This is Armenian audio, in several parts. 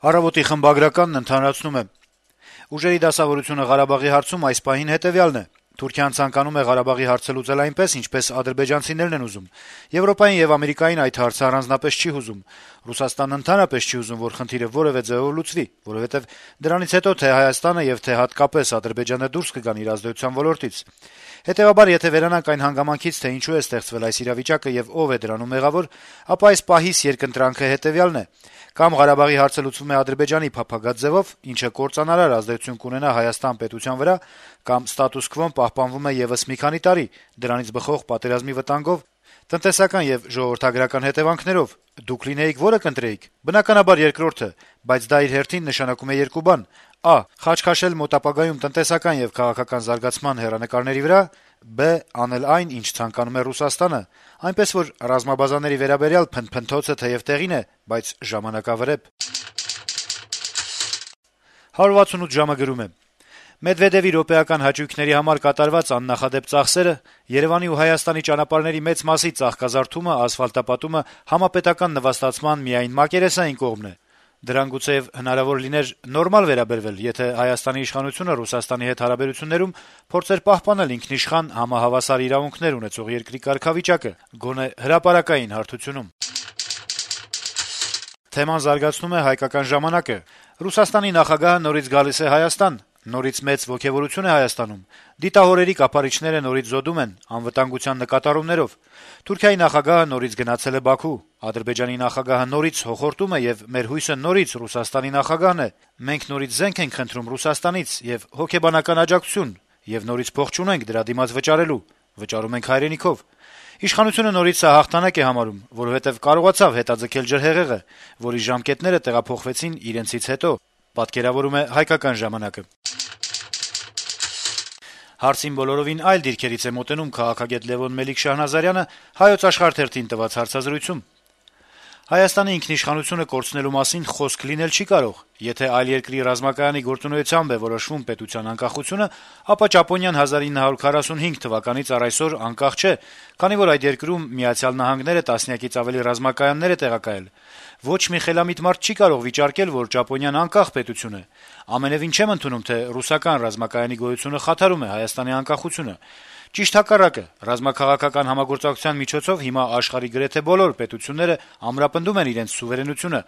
Առավոտի խմբագրականն ընդհանրացնում է. - «Ուժերի դասավորությունը Ղարաբաղի հարցում այս պահին հետեւյալն է. Թուրքիան ցանկանում է Ղարաբաղի հարցը լուծել այնպես, ինչպես ադրբեջանցիներն են ուզում: Եվրոպային եւ Ամերիկային այդ հարցը առանձնապես չի հուզում: Ռուսաստանն ընդհանրապես չի ուզում, որ խնդիրը որեւէ ձեւով լուծվի, որովհետեւ դրանից հետո թե Հայաստանը եւ թե հատկապես Ադրբեջանը դուրս կգան իր ազդեցության ոլորտից: Հետեւաբար, եթե վերանանք այն հանգամանքից, թե ինչու է ստեղծվել այս իրավիճակը եւ ով է դրանում մեղավոր, ապա այս պահիս երկընտրանքը հետեւյալն է. կամ Ղարաբաղի հարցը լուծվում է Ադրբեջանի փափագած ձևով, ինչը կործանարար ազդեցություն կունենա Հայաստան պետության վրա, կամ ստատուս քվոն պահպանվում է եւս մի քանի տարի, դրանից բխող պատերազմի վտանգով, տնտեսական եւ ժողովրդագրական հետեւանքներով: Դուք լինեիք որը կընտրեիք: Բնականաբար երկրորդը, բայց դա իր հերթին նշանակում է երկու բան. Ա. Խաչ քաշել մոտ ապագայում տնտեսական եւ քաղաքական զարգացման հեռանկարների վրա, Բ. Անել այն, ինչ ցանկանում է Ռուսաստանը, այնպես որ ռազմաբազաների վերաբերյալ փնթփնթոցը թեեւ տեղին է, բայց ժամանակավրեպ»: 168 ժամը գրում է. - Մեդվեդեւի րոպեական հաճույքների համար կատարված աննախադեպ ծախսերը, Երեւանի ու Հայաստանի ճանապարհների մեծ մասի ծաղկազարդումը, ասֆալտապատումը համապետական նվաստացման միայն մակերեսային կողմն է: Դրան գուցեեւ հնարավոր լիներ նորմալ վերաբերվել, եթե Հայաստանի իշխանությունը Ռուսաստանի հետ հարաբերություններում փորձեր պահպանել ինքնիշխան, համահավասար իրավունքներ ունեցող երկրի կարգավիճակը, գոնե հրապարակային հարթությունում: Թեման զարգացնում է «Հայկական ժամանակ»-ը. - «Ռուսաստանի նախագահը նորից գալիս է Հայաստան: Նորից մեծ ոգեւորություն է Հայաստանում: Դիտահորերի կափարիչները նորից զոդում են, անվտանգության նկատառումներով: Թուրքիայի նախագահը նորից գնացել է Բաքու: Ադրբեջանի նախագահը նորից հոխորտում է, եւ մեր հույսը նորից Ռուսաստանի նախագահն է: Մենք նորից զենք ենք խնդրում Ռուսաստանից եւ հոգեբանական աջակցություն, եւ նորից փող չունենք դրա դիմաց վճարելու: Վճարում ենք հայրենիքով: Իշխանությունը նորից սա հաղթանակ է համարում, որովհետեւ կարողացավ հետաձգել ջրհեղեղը, որի ժամկետները տեղափոխվեցին իրենցից հետո»: Հարցին բոլորովին այլ դիրքերից է մոտենում քաղաքագետ Լեւոն Մելիք-Շահնազարյանը «Հայոց Աշխարհ» թերթին տված հարցազրույցում: Հայաստանի ինքնիշխանությունը կորցնելու մասին խոսք լինել չի կարող: Եթե այլ երկրի ռազմակայանի գործունեությամբ է որոշվում պետության անկախությունը, ապա Ճապոնիան 1945 թվականից առ այսօր անկախ չէ, քանի որ այդ երկրում Միացյալ Նահանգները տասնյակից ավելի ռազմակայաններ է տեղակայել: Ոչ մի խելամիտ մարդ չի կարող վիճարկել, որ Ճապոնիան անկախ պետություն է: Ամենեւին չեմ ընդունում, թե ռուսական ռազմակայանի գոյությունը խաթարում է Հայաստանի անկախությունը: Ճիշտ հակառակը, ռազմաքաղաքական համագործակցության միջոցով հիմա աշխարհի գրեթե բոլոր պետությունները ամրապնդում են իրենց սուվերենությունը»: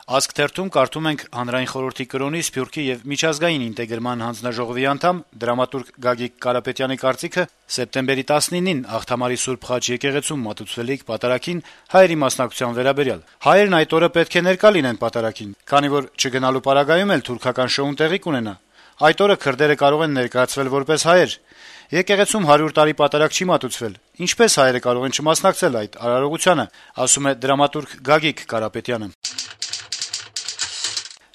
«Ազգ» թերթում կարդում ենք Հանրային խորհրդի կրոնի, Սփյուռքի եւ միջազգային ինտեգրման հանձնաժողովի անդամ, դրամատուրգ Գագիկ Կարապետյանի կարծիքը սեպտեմբերի 19-ին Աղթամարի Սուրբ Խաչ եկեղեցում մատուցվելիք պատարագին հայերի մասնակցության վերաբերյալ: Հայերն այդ օրը պետք է ներկա լինեն պատարագին, քանի որ չգնալու պարագայում էլ թուրքական շոուն տեղի կունենա: Այդ օրը քրդերը կարող են ներկայացվել որպես հայեր: Եկեղեցում 100 տարի պատարագ չի մատուցվել: Ինչպե՞ս հայերը կարող են չմասնակցել այդ արարողությանը»: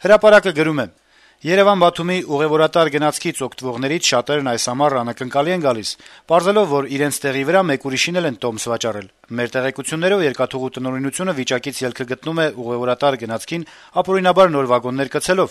«Հրապարակ»-ը գրում է. - «Երեւան-Բաթումի ուղեւորատար գնացքից օգտվողներից շատերն այս ամառ անակնկալի են գալիս, պարզելով, որ իրենց տեղի վրա մեկ ուրիշին էլ են տոմս վաճառել: Մեր տեղեկություններով երկաթուղու տնօրինությունը վիճակից ելքը գտնում է ուղեւորատար գնացքին ապօրինաբար նոր վագոններ կցելով: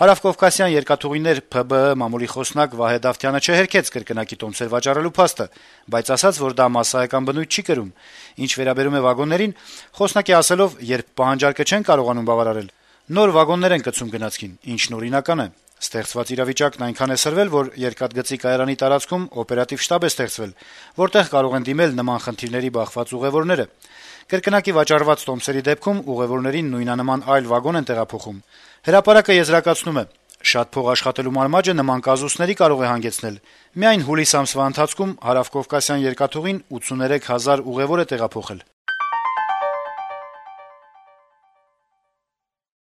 Հարավկովկասյան երկաթուղիներ ՓԲԸ մամուլի խոսնակ Վահե Դավթյանը չհերքեց կրկնակի տոմսեր վաճառելու փաստը, բայց ասաց, որ դա մասսայական բնույթ չի կրում: Ինչ վերաբերում է վագոններին, խոսնակի ասելով, երբ պահանջարկը չեն կարողանում բավարարել, նոր վագոններ են կցում գնացքին, ինչն օրինական է: Ստեղծված իրավիճակն այնքան է սրվել, որ երկաթգծի կայարանի տարածքում օպերատիվ շտաբ է ստեղծվել, որտեղ կարող են դիմել նման խնդիրների բախված ուղեւորները: Կրկնակի վաճառված տոմսերի դեպքում ուղեւորներին նույնանման այլ վագոն են տեղափոխում»: «Հրապարակ»-ը եզրակացնում է. - «Շատ փող աշխատելու մարմաճը նման կազուսների կարող է հանգեցնել: Միայն հուլիս ամսվա ընթացքում Հարավկովկասյան երկաթուղին 83 հազար ուղեւոր է տեղափոխել»: